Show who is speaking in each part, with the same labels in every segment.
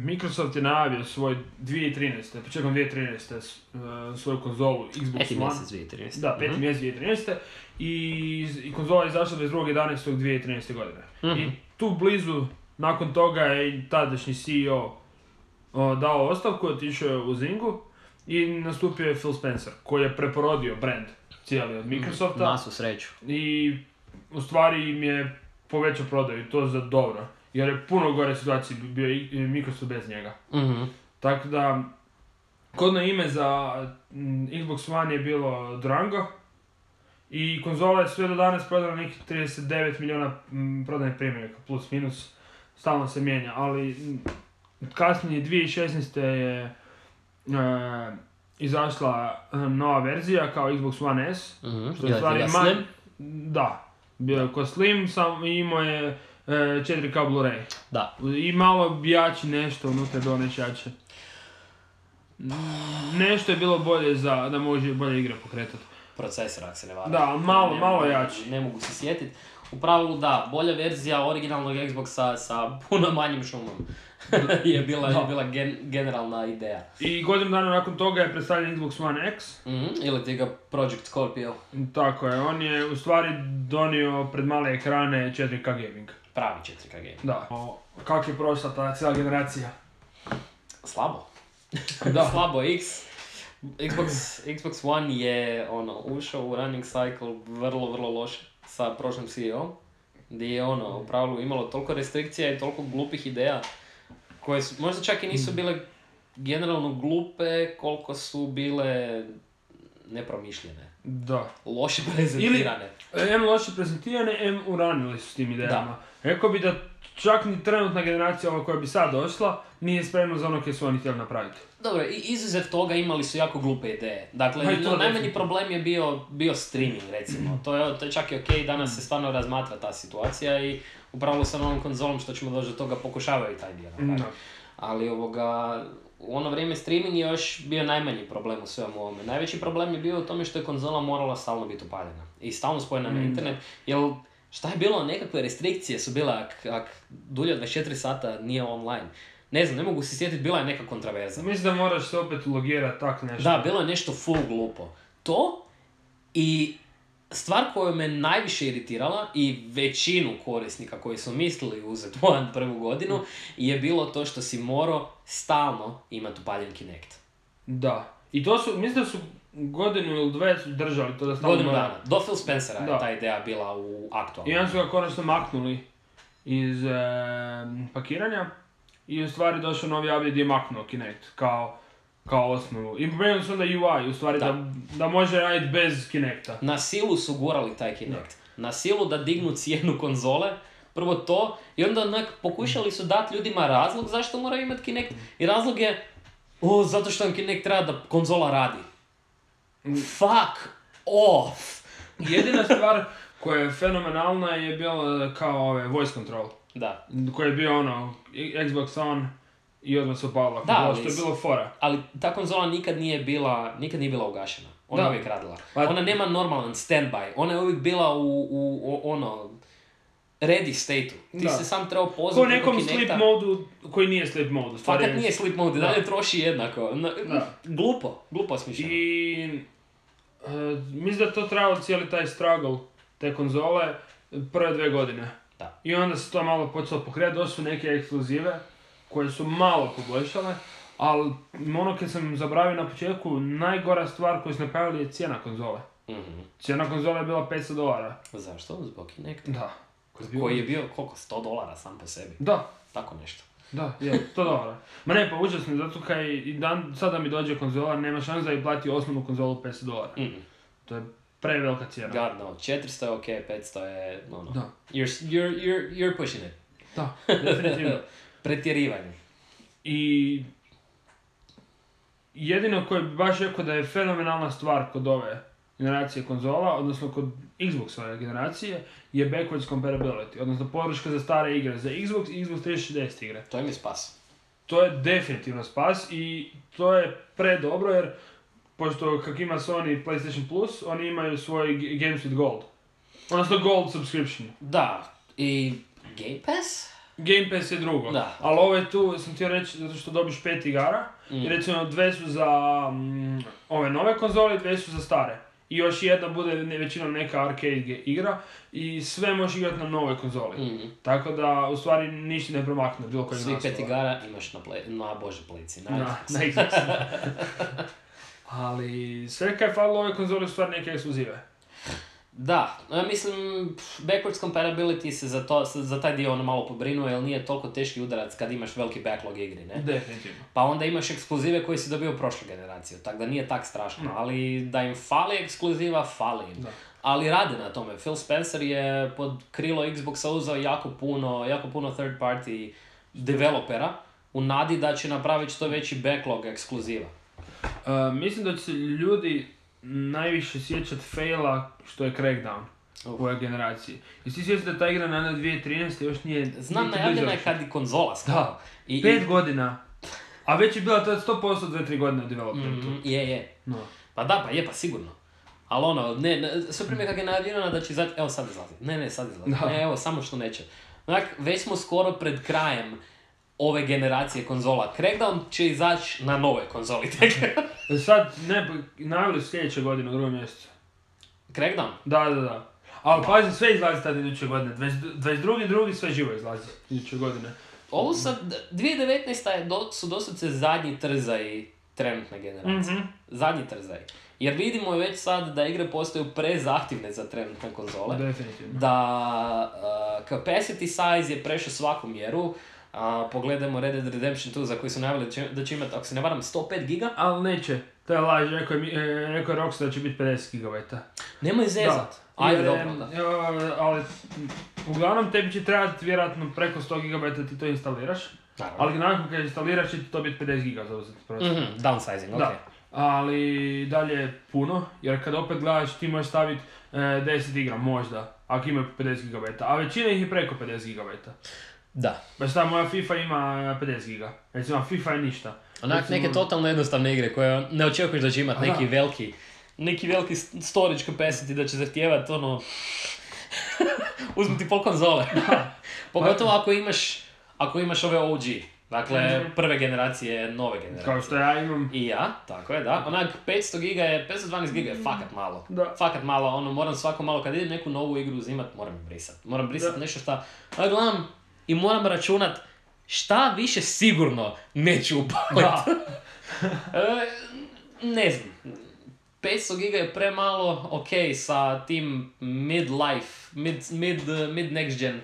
Speaker 1: Microsoft je najavio svoj 2013. početkom 2013. Svoju konzolu Xbox One.
Speaker 2: 5. mjesec 2013.
Speaker 1: Da, 5. mjesec 2013. I konzola je izašla 22.11.2013. godine. I tu blizu, nakon toga je i tadašnji CEO dao ostavku, otišao je u Zyngu i nastupio je Phil Spencer, koji je preporodio brand cijeli od Microsofta.
Speaker 2: Na svu sreću.
Speaker 1: I u stvari im je povećao prodaju, to za dobro. Jer je puno gore situacije bio i Microsoft bez njega. Tako da, kodno ime za Xbox One je bilo Durango. I konzola je sve do danas prodala nekih 39 milijuna prodajnih primjeraka, plus minus. Stalno se mijenja, ali kasnije 2016. je izašla nova verzija kao Xbox One S.
Speaker 2: Što je stvari Slim?
Speaker 1: Da, bio je ko Slim, imao je 4K Blu-ray.
Speaker 2: Da.
Speaker 1: I malo jači nešto, unutra je bilo nešto jače. Nešto je bilo bolje da može bolje igre pokretati.
Speaker 2: Procesor, ako se ne varam.
Speaker 1: Da, malo jači.
Speaker 2: Ne mogu se sjetiti. U pravilu da, bolja verzija originalnog Xboxa sa puno manjim šumom je bila generalna ideja.
Speaker 1: I godinu dana nakon toga je predstavljen Xbox One X.
Speaker 2: Ili ti ga Project Scorpio.
Speaker 1: Tako je, on je u stvari donio pred male ekrane 4K gaming.
Speaker 2: Pravi 4K gaming.
Speaker 1: Da. Kako je prošla ta cijela generacija?
Speaker 2: Slabo. Da. Slabo. Xbox One je ušao u running cycle vrlo loše sa prošlim CEO, gdje je u pravilu imalo toliko restrikcija i toliko glupih ideja koje su, možda čak i nisu bile generalno glupe koliko su bile nepromišljene.
Speaker 1: Da.
Speaker 2: Loše prezentirane.
Speaker 1: Ili loše prezentirane, uranili su s tim idejama. Rekao bi da čak ni trenutna generacija ova koja bi sad došla nije spremna za ono koje su oni htjeli napraviti.
Speaker 2: Dobro, i izuzev toga imali su jako glupe ideje. Dakle, najmanji problem je bio streaming, recimo. To je čak i okej, danas se stvarno razmatra ta situacija i upravo sa novom konzolom što ćemo doći do toga pokušavaju taj dio napraviti. Ali u ono vrijeme streaming je još bio najmanji problem u svemu ovome. Najveći problem je bio u tome što je konzola morala stalno biti upaljena i stalno spojena na internet, jer šta je bilo, nekakve restrikcije su bile ak dulje od 24 sata nije online. Ne znam, ne mogu se sjetiti, bila je neka kontraverza.
Speaker 1: Mislim da moraš se opet logirati tak nešto.
Speaker 2: Da, bilo je nešto full glupo. To i stvar koja me najviše iritirala i većinu korisnika koji su mislili uzeti One prvu godinu je bilo to što si morao stalno imati upaljen Kinect.
Speaker 1: Da. I to su, mislim da su godinu ili dve držali to da stalno...
Speaker 2: Godinu dana. Do Phil Spencera je ta ideja bila u aktualnom.
Speaker 1: I onda su ga konačno maknuli iz pakiranja i u stvari došao novi update gdje je maknuo Kinect kao osnovu. I promijenili su onda UI, u stvari da može raditi bez Kinecta.
Speaker 2: Na silu su gurali taj Kinect. Na silu da dignu cijenu konzole, prvo to, i onda pokušali su dati ljudima razlog zašto moraju imati Kinect. I razlog je, zato što vam Kinect treba da konzola radi. Fuck off!
Speaker 1: Jedina stvar koja je fenomenalna je bila kao voice control.
Speaker 2: Da.
Speaker 1: Koji je bio Xbox One i odmah su upala. Da, što je bilo fora.
Speaker 2: Ali ta konzola nikad nije bila ugašena. Ona je uvijek radila. Ona nema normalan standby. Ona je uvijek bila u ready state-u. Ti se sam trebao pozvati preko Kinecta.
Speaker 1: Ko nekom sleep modu koji nije sleep mode.
Speaker 2: Fakat nije sleep mode, dalje troši jednako. Glupo smišljeno.
Speaker 1: I mislim da to trebalo cijeli taj struggle te konzole prve 2 godine.
Speaker 2: Da.
Speaker 1: I onda se to malo počelo pokretati, došli su neke ekskluzive koje su malo poboljšale, ali ono kad sam zabravio na početku, najgora stvar koju su napravili je cijena konzole. Cijena konzole je bila $500.
Speaker 2: Zašto? Zbog Kinecta?
Speaker 1: Da.
Speaker 2: Koji je bio, koliko? $100 sam po sebi?
Speaker 1: Da.
Speaker 2: Tako nešto.
Speaker 1: Da, $100. Ma ne, pa užasno, zato kaj sada mi dođe konzola, nema šans da i plati osnovnu konzolu $500. To je prevelika cijena.
Speaker 2: God no, 400 je okej, 500 je,
Speaker 1: Da.
Speaker 2: You're pushing it.
Speaker 1: Da, definitivno.
Speaker 2: Pretjerivanje.
Speaker 1: I jedino koje bi baš rekao da je fenomenalna stvar kod ove generacije konzola, odnosno kod Xboxove generacije, je backwards compatibility, odnosno podrška za stare igre, za Xbox i Xbox 360 igre.
Speaker 2: To im je spas.
Speaker 1: To je definitivno spas i to je predobro jer pošto kak ima Sony PlayStation Plus, oni imaju svoj Games with Gold. Odnosno Gold subscription.
Speaker 2: Da, i Game Pass?
Speaker 1: Game Pass je drugo,
Speaker 2: da.
Speaker 1: Ali ovo je tu, sam htio reći, zato što dobiš 5 igara, i recimo 2 su za ove nove konzole, 2 su za stare. I još jedna bude većinom neka arcade igra i sve možeš igrati na novoj konzoli. Tako da, u stvari, ništa ne promakne bilo kojeg naslova.
Speaker 2: Svi 5 igara imaš na Playci,
Speaker 1: na Xboxu. Ali sve kaj je falilo ove konzole u stvari neke ekskluzive.
Speaker 2: Da, mislim, backwards compatibility se za taj dio ono malo pobrinuo, jer nije toliko teški udarac kad imaš veliki backlog igri, ne?
Speaker 1: Definitivno.
Speaker 2: Pa onda imaš ekskluzive koje si dobio prošlu generaciju, tako da nije tak strašno, ali da im fali ekskluziva, fali im. Da. Ali rade na tome. Phil Spencer je pod krilo Xboxa uzeo jako puno third party developera u nadi da će napraviti što veći backlog ekskluziva.
Speaker 1: Mislim da će se ljudi najviše sjećat faila što je Crackdown u ovoj generaciji. I ti sjećaš da ta igra na 2013. još nije...
Speaker 2: Znam, najavljena je kad i konzola stala.
Speaker 1: Da, 5 godina. A već je bila to 100% 2-3 godine u developementu.
Speaker 2: Je. No. Pa da, pa sigurno. Ali ono, sve primjer kak je najavljena da će izaći, evo sad izlazi. Ne, sad izlazi. Ne, evo, samo što neće. Već smo skoro pred krajem ove generacije konzola. Crackdown će izaći na nove konzoli tek.
Speaker 1: Sad, najavili sljedeće godine u drugom mjesecu.
Speaker 2: Crackdown?
Speaker 1: Da. Ali pazi, sve izlazi tad iduće godine. 22.2. sve živo izlazi iduće godine.
Speaker 2: Ovo sad, 2019. su doslovce zadnji trzaj trenutne generacije. Zadnji trzaj. Jer vidimo već sad da igre postaju prezahtjevne za trenutne konzole.
Speaker 1: Definitivno.
Speaker 2: Da capacity size je prešao svaku mjeru. Pogledajmo Red Dead Redemption 2 za koji su najavili da će imati, ako se ne varam, 105 giga.
Speaker 1: Ali neće. To je laž, rekao je Rockstar da će biti 50 gigabajta.
Speaker 2: Nemoj zezat. Ajde, dobro, da.
Speaker 1: Ali, uglavnom, tebi će trebati vjerojatno preko 100 gigabajta da ti to instaliraš. Naravno. Ali nakon kad instaliraš će ti to biti 50 giga za uzeti.
Speaker 2: Downsizing, ok.
Speaker 1: Ali dalje puno, jer kad opet gledaš ti možeš staviti 10 igra možda, ako ima 50 gigabajta. A većina ih je preko 50 gigabajta.
Speaker 2: Da.
Speaker 1: Baš ta moja FIFA ima 50 giga. Recimo, FIFA je ništa.
Speaker 2: Onak neke totalno jednostavne igre koje ne očekuješ da će imati neki veliki storage capacity da će zahtijevati ono... uzmiti pol konzole. Pogotovo ako imaš ove OG. Dakle, prve generacije, nove generacije.
Speaker 1: Kao što ja imam.
Speaker 2: I ja, tako je, da. Onak 512 giga je fakat malo. Da. Fakat malo, ono, moram svako malo, kad idem neku novu igru uzimat, moram brisat. Moram brisat nešto šta... gledam i moram računat šta više sigurno neću upaliti. Ne znam. 500 giga je premalo, ok, sa tim mid-life, mid next gen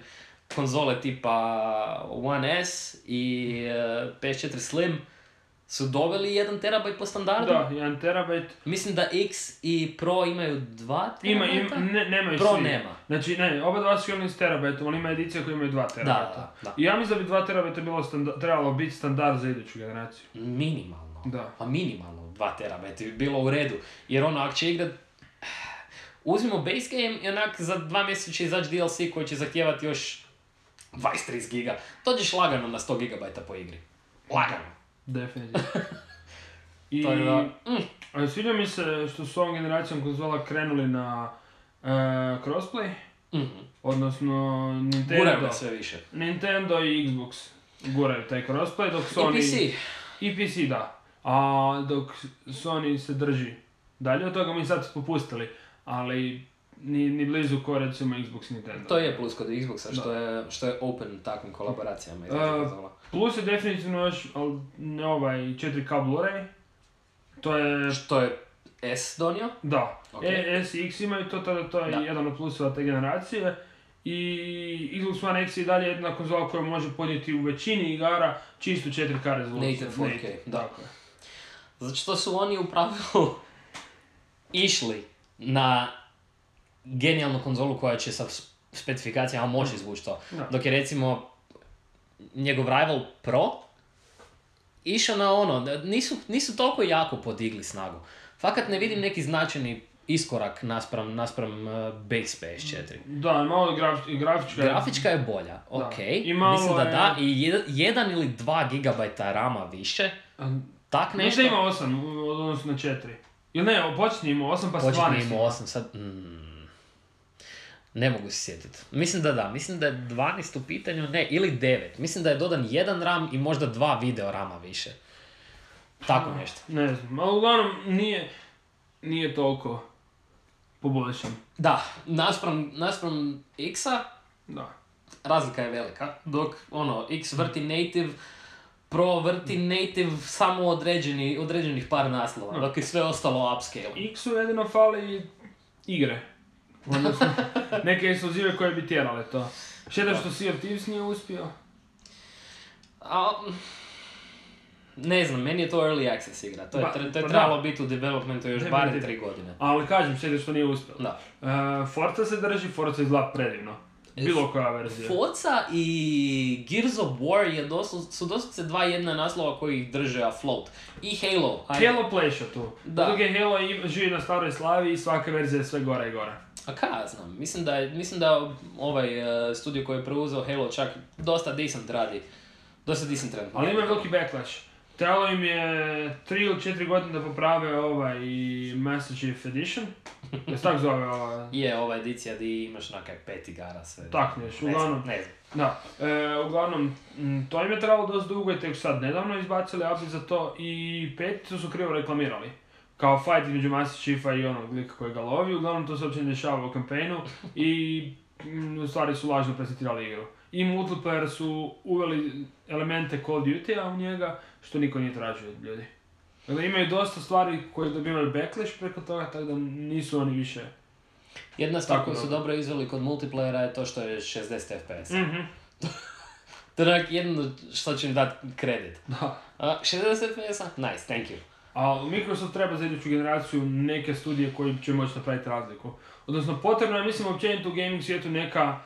Speaker 2: konzole tipa One S i PS4 Slim su doveli 1 terabajt po standardu.
Speaker 1: Da, 1 terabajt.
Speaker 2: Mislim da X i Pro imaju 2 terabajta.
Speaker 1: Nemaju
Speaker 2: Pro
Speaker 1: svi.
Speaker 2: nema.
Speaker 1: Znači, oba dva su imali s terabajtom, ali ima edicija koja imaju 2 terabajta. Da. I ja mislim da bi 2 terabajta trebalo biti standard za iduću generaciju.
Speaker 2: Minimalno.
Speaker 1: Da.
Speaker 2: Pa minimalno 2 terabajta bi bilo u redu. Jer ono, ako će igrat... Uzmimo base game i onak za 2 mjeseca će izaći DLC koji će zahtijevati još 20-30 giga. Dođeš lagano na 100 gigabajta po igri. Lagano.
Speaker 1: Definitivno. I sviđa mi se što su ovom generacijom konzola krenuli na crossplay. Odnosno Nintendo.
Speaker 2: Guraju sve više.
Speaker 1: Nintendo i Xbox guraju taj crossplay, dok Sony... I PC, da. A dok Sony se drži dalje od toga, mi sad su popustili. Ali ni blizu ko recimo Xbox i Nintendo.
Speaker 2: To je plus kod Xboxa, što je open takvim kolaboracijama.
Speaker 1: Plus je definitivno još 4K Blu-ray. To je...
Speaker 2: Što je S donio?
Speaker 1: Da. Okay. S i X imaju to je jedan od plusova te generacije. I Xbox One X je dalje jedna konzola koja može podnijeti u većini igara čistu 4K rezoluciju.
Speaker 2: Native 4K, da. Zato što su oni u pravilu išli na genijalnu konzolu koja će sa specifikacijama moći izvući to. No. Dok je recimo njegov rival Pro išao na ono, nisu toliko jako podigli snagu. Fakat ne vidim neki značajni iskorak naspram base PS4.
Speaker 1: Da, malo
Speaker 2: grafička je bolja, ok. Mislim da i 1 ili 2 gigabajta rama više. Tak nešto.
Speaker 1: Mislim ima 8 odnosno na 4. Ili ne, počinje ima 8 pa se 12
Speaker 2: ima 8 sad... Ne mogu se sjetiti. Mislim da je 12 u pitanju, ne, ili 9. Mislim da je dodan jedan RAM i možda 2 video rama više. Tako nešto.
Speaker 1: Ne znam, ali uglavnom nije toliko poboljšan.
Speaker 2: Da, naspram X-a,
Speaker 1: da.
Speaker 2: Razlika je velika. Dok, X vrti native, Pro vrti native samo određenih par naslova, dok je sve ostalo upscale.
Speaker 1: X-u jedino fali igre. Odnosno, neke ekskluzive koje bi tjerale to. Šteta što Sea of Thieves nije uspio.
Speaker 2: Ne znam, meni je to early access igra. To je trebalo biti u developmentu još barem 3 godine.
Speaker 1: Ali kažem, šteta što nije uspio.
Speaker 2: Da.
Speaker 1: Forza se drži, Forza izgleda predivno. Bilo koja verzija.
Speaker 2: Forza i Gears of War su doslovce 2 jedna naslova koji ih drže afloat. I Halo.
Speaker 1: Halo pleša tu. Dok je Halo živi na staroj slavi i svaka verzija je sve gore i gore.
Speaker 2: A kaj ja znam, mislim da ovaj studio koji je preuzeo Halo čak dosta decent radi. Dosta decent radi.
Speaker 1: Ali ima veliki backlash. Trebalo im je 3 ili 4 godine da poprave i Master Chief Edition. Jesi tak zove ova?
Speaker 2: Je, ova edicija di imaš nekaj 5 igara sve.
Speaker 1: Tak neš, uglavnom.
Speaker 2: Ne znam.
Speaker 1: Da, uglavnom, to im je trebalo dosta dugo i tek sad nedavno izbacili update za to i 5 su krivo reklamirali. Kao fight između Master Chiefa i onog lika koji ga lovi, uglavnom to se uopće ne dešava u kampejnu i u stvari su lažno prezentirali igru. I multiplayer su uveli elemente Call of Duty-a u njega, što niko nije tražio od ljudi. Dakle, imaju dosta stvari koje dobivaju backlash preko toga, tako da nisu oni više...
Speaker 2: Jedna stvar koju su dobro izveli kod multiplayera je to što je 60 FPS.
Speaker 1: Mm-hmm.
Speaker 2: To je jedno što će im dati kredit.
Speaker 1: Da.
Speaker 2: 60 FPS-a? Nice, thank you.
Speaker 1: A Microsoft treba za iduću generaciju neke studije koji će moći napraviti razliku. Odnosno, potrebno je, mislim, općenito u gaming svijetu neka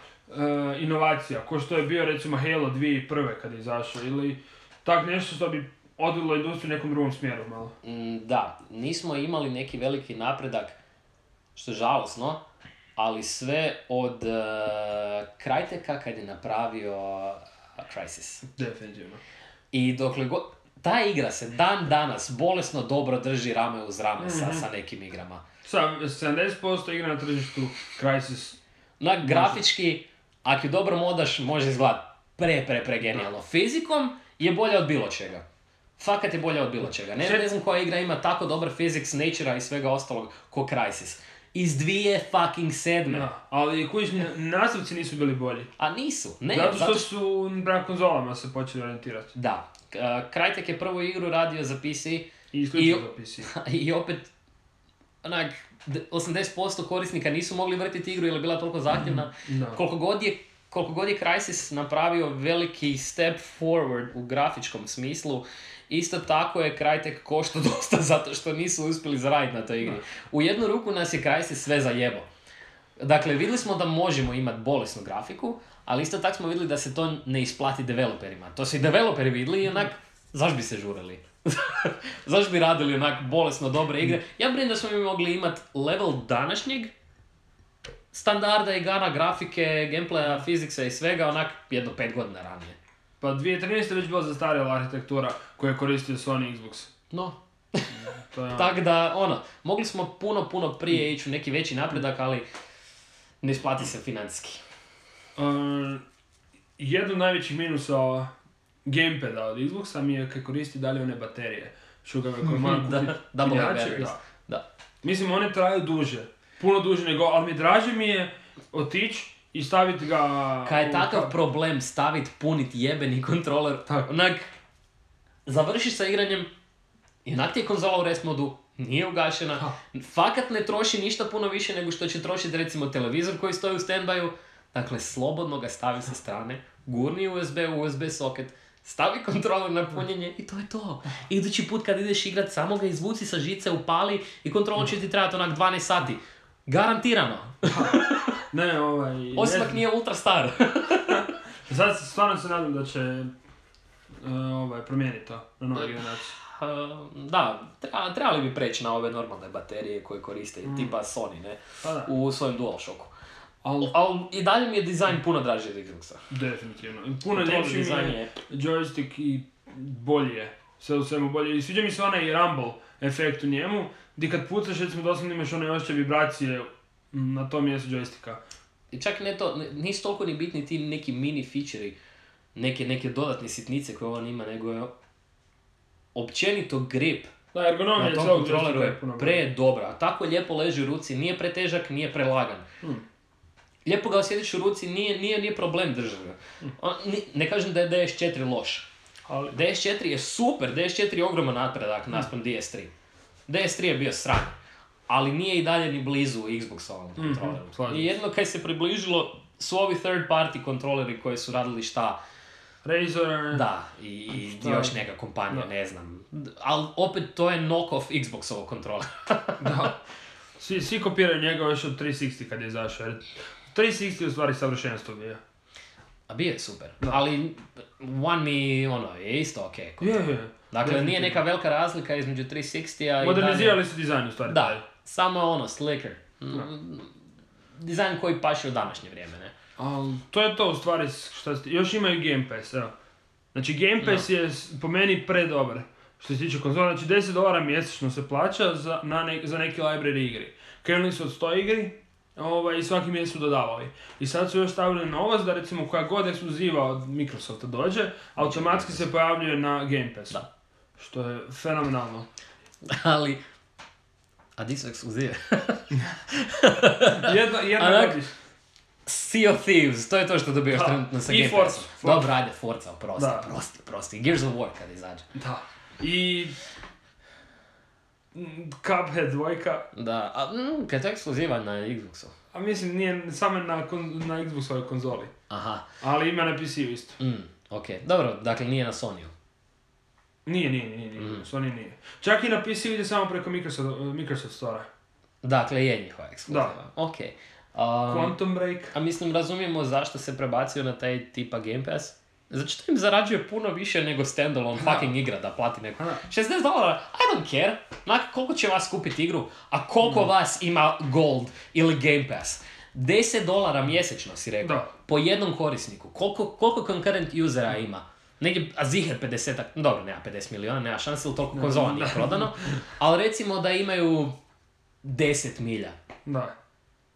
Speaker 1: inovacija, ko što je bio recimo Halo 2001. kad je izašao, ili tak nešto što bi odvilo industriju nekom drugom smjeru malo.
Speaker 2: Da, nismo imali neki veliki napredak, što je žalosno, ali sve od Cryteka kad je napravio Crysis.
Speaker 1: Definitivno.
Speaker 2: I dokle god... Ta igra se dan danas bolesno dobro drži rame uz rame sa nekim igrama.
Speaker 1: Sa 70% igra na tržištu Crysis.
Speaker 2: Grafički, ako je dobro modaš, može izgledati pre genijalno. Fizikom je bolja od bilo čega. Fakat je bolja od bilo čega. Ne znam koja igra ima tako dobar physics, nature-a i svega ostalog ko Crysis. Iz 2007.
Speaker 1: Da, ali koji nastavci nisu bili bolji.
Speaker 2: A nisu. Ne,
Speaker 1: zato što su na konzolama se počeli orijentirati.
Speaker 2: Da. Crytek je prvu igru radio za PC.
Speaker 1: I isključivo za PC.
Speaker 2: I opet, 80% korisnika nisu mogli vrtiti igru jer je bila toliko zahtjevna. Koliko god je Crysis napravio veliki step forward u grafičkom smislu, isto tako je Crytek koštao dosta zato što nisu uspjeli zaraditi na toj igri. U jednu ruku nas je Crysis sve zajebo. Dakle, vidjeli smo da možemo imati bolesnu grafiku, ali isto tako smo vidjeli da se to ne isplati developerima. To su i developeri vidjeli i onak, zašto bi se žurili? Zašto bi radili onak bolesno dobre igre? Ja brinem da smo mi mogli imati level današnjeg standarda igara, grafike, gameplaya, fiziksa i svega onak jedno 5 godina ranije.
Speaker 1: Pa 2013. već bila zastarjela arhitektura koju je koristio Sony Xbox.
Speaker 2: No. Tako da, mogli smo puno prije ići u neki veći napredak, ali ne isplati se financijski.
Speaker 1: Jedno od najvećih minusa gamepada od Xboxa mi je kad koristi dalje one baterije. Šugave koje moram kupiti.
Speaker 2: Double batteries. Da.
Speaker 1: Mislim, one traju duže. Puno duže nego, ali draže mi je otići i staviti ga...
Speaker 2: Kad je takav problem staviti, puniti jebeni kontroler, onak, završiš sa igranjem, i onak ti je konzola u rest modu, nije ugašena, fakat ne troši ništa puno više nego što će trošiti recimo televizor koji stoji u standbyu, dakle slobodno ga stavi sa strane, gurni USB u USB socket, stavi kontroler na punjenje i to je to. Idući put kad ideš igrat, samo ga izvuci sa žice, upali i kontroler će ti trebati onak 12 sati. Garantirano.
Speaker 1: Ne,
Speaker 2: osim ako nije ultra star.
Speaker 1: Sad stvarno se nadam da će promijeniti to na nove generacije.
Speaker 2: Da, trebali bi preći na ove normalne baterije koje koriste, tipa Sony, ne? U svojem DualShocku. Ali i dalje mi je dizajn puno draži od Xboxa.
Speaker 1: Definitivno. Puno ljepši mi je joystick i bolji je. Sve u svemu bolje. I sviđa mi se onaj rumble efekt u njemu, gdje kad pucaš, recimo doslovno imaš one osjećaj vibracije na tom mjestu joysticka.
Speaker 2: I čak ne to, nisu toliko ni bitni ti neki mini feature-i, neke dodatne sitnice koje on ima, nego je općenito grip
Speaker 1: da, ergonomija
Speaker 2: na tom kontroleru je pre-dobra. A tako lijepo leži u ruci, nije pretežak, nije prelagan. Lijepo ga osjetiš u ruci, nije problem držati ga. Ne kažem da je DS4 loš. Ali DS4 je super, DS4 je ogroman napredak naspram DS3. DS3 je bio sran, ali nije i dalje ni blizu Xbox-ovom kontroleru. I jedno kaj se približilo su ovi third party kontroleri koji su radili šta?
Speaker 1: Razer.
Speaker 2: Da, i još neka kompanija, ne znam. Ali opet to je knock-off Xbox-ovog kontrolera.
Speaker 1: Da. Svi kopiraju njega još od 360 kad je izašao. 360 u stvari savršenstvo bio.
Speaker 2: A bio je super, da. Ali One mi je isto okej.
Speaker 1: Je.
Speaker 2: Dakle, nije neka velika razlika između 360-a i
Speaker 1: modernizirali su dizajn u stvari.
Speaker 2: Da, samo slicker. Dizajn koji paše u današnje vrijeme, ne?
Speaker 1: To je to u stvari što još imaju Game Pass, evo. Znači Game Pass je po meni predobar. Što se tiče konzola, znači $10 mjesečno se plaća za neki library igri. Krenuli su od 100 igri, i svaki mjesec su dodavali. I sad su još stavili novost da recimo koja god ekskluziva od Microsofta dođe, automatski se pojavljuje na Game Passu. Da. Što je fenomenalno.
Speaker 2: Ali, a di su ekskluzive?
Speaker 1: Jedna godiš.
Speaker 2: Sea of Thieves, to je to što dobijaš trenutno sa Game Passom. Dobro, ajde, Forza, prosti. Gears of War kad izađe.
Speaker 1: Da. I Cuphead 2.
Speaker 2: Da, a kad je to ekskluziva na Xboxu?
Speaker 1: A mislim, nije samo na Xboxovoj konzoli.
Speaker 2: Aha.
Speaker 1: Ali ima na PC-u isto.
Speaker 2: Okej. Dobro, dakle nije na Sony-u.
Speaker 1: Nije. Sony nije. Čak i na PC-u ide samo preko Microsoft Store-a.
Speaker 2: Dakle, je njihova ekskluziva.
Speaker 1: Da.
Speaker 2: Okej.
Speaker 1: Quantum Break.
Speaker 2: A mislim, razumijemo zašto se prebacio na taj tipa Game Pass? Zato što im zarađuje puno više nego standalone fucking igra da plati neko. $60, I don't care. Koliko će vas kupiti igru, a koliko vas ima Gold ili Game Pass? $10 mjesečno si rekao. Da. Po jednom korisniku. Koliko concurrent usera ima? Negdje, a ziher 50, dobro, nema 50 miliona, nema šanse, ili toliko konzola nije prodano. Ali recimo da imaju 10 milja.
Speaker 1: Da.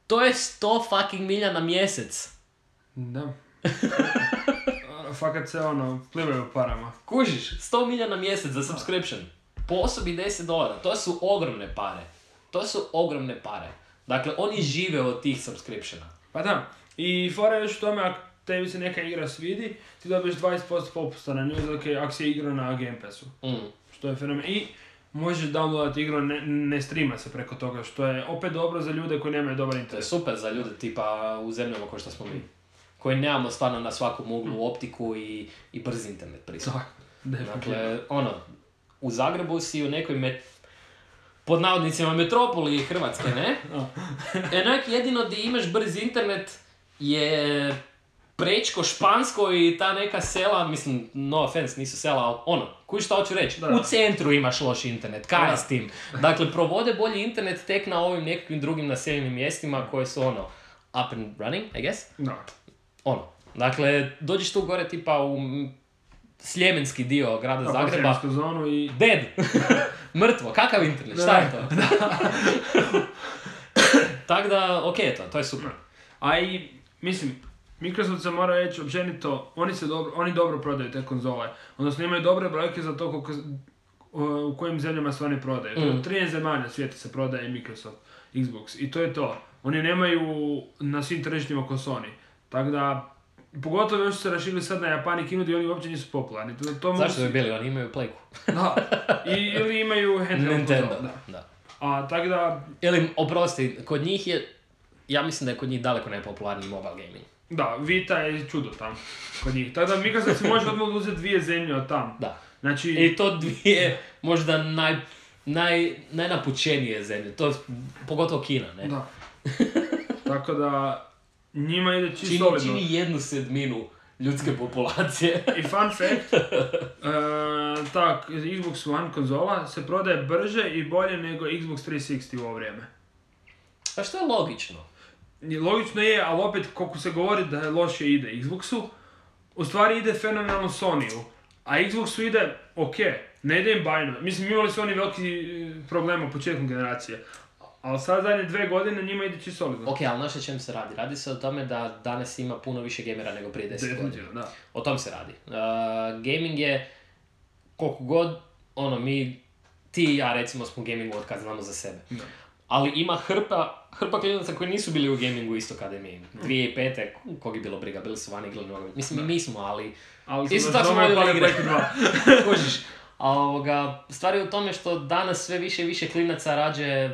Speaker 2: To je 100 fucking milja na mjesec.
Speaker 1: Da. Fakat se plivaju parama.
Speaker 2: Kužiš, 100 milja na mjesec za subscription. Po osobi $10. To su ogromne pare. Dakle, oni žive od tih subscriptiona.
Speaker 1: Pa da. I fora još u tome, ako tebi se neka igra svidi, ti dobiješ 20% popusta na nju, ako si igra na Game Passu. Što je fenomen. I možeš downloadati igru, ne streama se preko toga, što je opet dobro za ljude koji nemaju dobar interes.
Speaker 2: To je super za ljude tipa u zemljama kao što smo mi. Koji nemamo stvarno na svakom uglu optiku i brzi internet pristup. Dakle, u Zagrebu si u nekoj pod navodnicima metropoli Hrvatske, ne? Enak jedino di imaš brzi internet je Prečko, Špansko i ta neka sela, mislim, no offense, nisu sela, ali kuj šta hoću reći, u centru imaš loš internet, kaj je s tim? Dakle, provode bolji internet tek na ovim nekakvim drugim naseljenim mjestima koje su up and running, I guess?
Speaker 1: Da.
Speaker 2: Dakle, dođeš tu gore tipa u sljemenski dio grada Zagreba.
Speaker 1: Zonu i...
Speaker 2: Dead! Mrtvo, kakav internet, šta je to? Tako da, okej, to je super.
Speaker 1: A i, mislim, Microsoft se mora reći općenito, oni dobro prodaju te konzole. Odnosno imaju dobre brojke za to u kojim zemljama se oni prodaju. To je 13 zemalja svijeta se prodaje Microsoft, Xbox. I to je to. Oni nemaju na svim tržištima ko Sony. Tako da, pogotovo još su se rašili sad na Japan i Kinu gdje oni uopće nisu popularni.
Speaker 2: Zašto bi bili? Oni imaju Playku.
Speaker 1: Da. Ili imaju handheld
Speaker 2: Nintendo. Da.
Speaker 1: A tako da...
Speaker 2: Ili, oprosti, kod njih je... Ja mislim da je kod njih daleko najpopularniji mobile gaming.
Speaker 1: Da, Vita je čudo tam kod njih. Tako da Microsoft si može odmah uzeti 2 zemlje od tam.
Speaker 2: Da.
Speaker 1: Znači...
Speaker 2: I to 2 možda najnapućenije zemlje. To pogotovo Kina, ne?
Speaker 1: Da. Tako da... Njima ide čisto solidno.
Speaker 2: Čini 1/7 ljudske populacije.
Speaker 1: I fun fact, Xbox One konzola se prodaje brže i bolje nego Xbox 360 u ovo vrijeme.
Speaker 2: A što je logično?
Speaker 1: Logično je, ali opet koliko se govori da loše ide Xboxu, u stvari ide fenomenalno Sony-u. A Xboxu ide ne ide im bajno. Mislim, imali su oni veliki problem u početku generacije. Ali sad zadnje 2 godine njima ide čisto solidno.
Speaker 2: Ok, ali znaš o čem se radi? Radi se o tome da danas ima puno više gamera nego prije 10 godina.
Speaker 1: Da.
Speaker 2: O tom se radi. Gaming je, koliko god, ti i ja recimo smo u gamingu od kad znamo za sebe.
Speaker 1: Da.
Speaker 2: Ali ima hrpa klinaca koji nisu bili u gamingu isto kada je mi. 2005. Kog je bilo briga, bili su vani igrali nogomet. Mislim, mi nismo, ali isto tako smo vodili igre. Kužiš. A stvar je u tome što danas sve više i više klinaca rađe,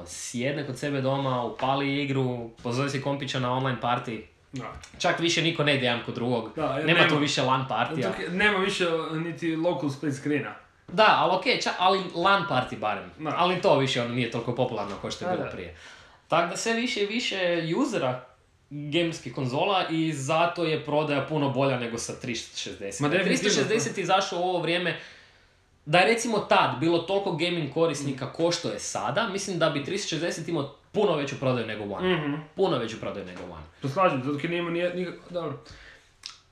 Speaker 2: sjedne kod sebe doma, upali igru, pozove si kompića na online party.
Speaker 1: Da.
Speaker 2: Čak više niko ne ide jedan kod drugog. Nema tu više LAN partija.
Speaker 1: Nema više niti local split screena.
Speaker 2: Da, ali okej, ali LAN party barem. Da. Ali to više nije toliko popularno kao što je bilo prije. Tako da sve više i više usera gamerskih konzola i zato je prodaja puno bolja nego sa 360. 360 izašao u ovo vrijeme. Da je recimo tad bilo toliko gaming korisnika ko što je sada, mislim da bi 360 imao puno veću prodaju nego One. Mm-hmm. Puno veću prodaju nego One.
Speaker 1: To slažem, zato kad nima nikako... Dobro.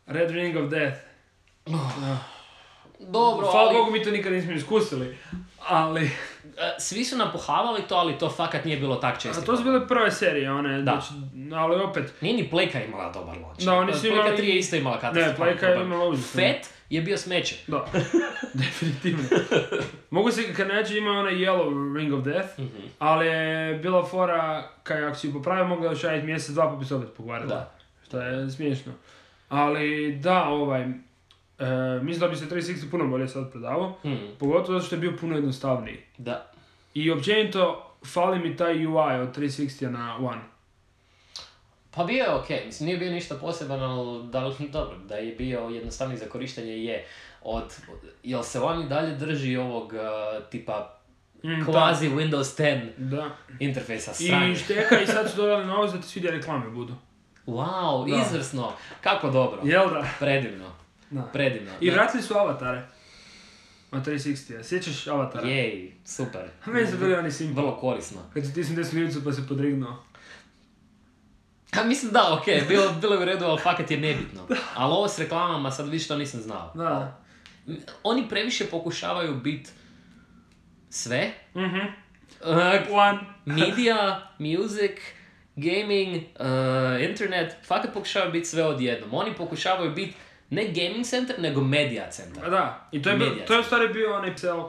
Speaker 1: Red Ring of Death.
Speaker 2: Dobro,
Speaker 1: hvala Bogu mi to nikad nismo iskusili, ali...
Speaker 2: Svi su nam pohavali to, ali to fakat nije bilo tak često.
Speaker 1: A to su bile prve serije, ali opet...
Speaker 2: Nije ni Playka imala dobar launch.
Speaker 1: Da, oni su imali...
Speaker 2: Playka 3 je isto imala katastrofa.
Speaker 1: Ne, Playka je imala užasno.
Speaker 2: Fat je bio smeće.
Speaker 1: Da, definitivno. Mogu se, kad neće ima onaj Yellow Ring of Death, ali je bila fora, ako si ju popravio, mogla još raditi mjesec, 2 pa bi se opet pokvarila. Da. Što je smiješno. Ali da, mislim da bi se 360 puno bolje sad prodavao, pogotovo zato što je bio puno jednostavniji.
Speaker 2: Da.
Speaker 1: I općenito, fali mi taj UI od 360 na One.
Speaker 2: Pa bio je okej, mislim nije bio ništa poseban, ali dobro, da je bio jednostavniji za korištenje je jel se One i dalje drži ovog tipa kvazi Windows 10 interfejsa stranje.
Speaker 1: I šteka i sad su dodali novost da ti svi reklame budu.
Speaker 2: Wow, izvrsno, kako dobro.
Speaker 1: Jel da?
Speaker 2: Predivno. Predivno.
Speaker 1: I vratili su avatare. Od 360, sjećaš avatara?
Speaker 2: Jej, super.
Speaker 1: A meni su bili oni simple.
Speaker 2: Vrlo korisno.
Speaker 1: Kad si tisnuo desnu ljubicu pa se podrignuo.
Speaker 2: A mislim da, okej, bilo je u redu, ali fakat je nebitno. Ali ovo s reklamama sad vidiš to nisam znao.
Speaker 1: Da.
Speaker 2: Oni previše pokušavaju biti sve.
Speaker 1: One.
Speaker 2: Media, music, gaming, internet, fakat pokušavaju biti sve odjednom. Oni pokušavaju biti ne gaming center, nego media center.
Speaker 1: Da, i to je u stvari bio onaj Pixel...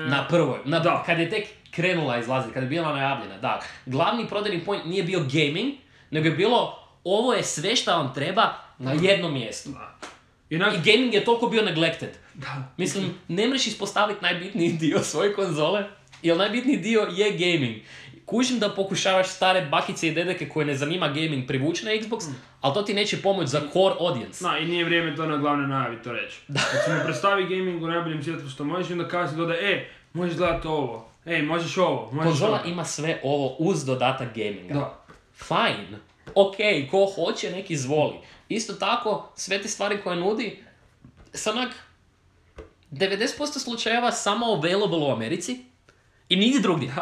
Speaker 2: Na prvoj, kad je tek krenula izlaziti, kad je bila najavljena, da. Glavni prodajni point nije bio gaming, nego je bilo ovo je sve što vam treba na jednom mjestu. I gaming je toliko bio neglected.
Speaker 1: Da.
Speaker 2: Mislim, ne mreš ispostaviti najbitniji dio svoje konzole, jer najbitniji dio je gaming. Kužim da pokušavaš stare bakice i dedeke koje ne zanima gaming privući na Xbox, ali to ti neće pomoći za core audience.
Speaker 1: Da, i nije vrijeme to na glavnoj najavi to reći. Kad se mi predstavi gaming u najboljem svjetlu što možeš, onda kasnije dodaje, možeš gledati ovo, možeš ovo, možeš
Speaker 2: konzola
Speaker 1: ovo.
Speaker 2: Ima sve ovo uz dodatak gaminga.
Speaker 1: Da.
Speaker 2: Fine. Okej, ko hoće, nek izvoli. Isto tako, sve te stvari koje nudi, sa onak 90% slučajeva samo available u Americi i nigdje drugdje.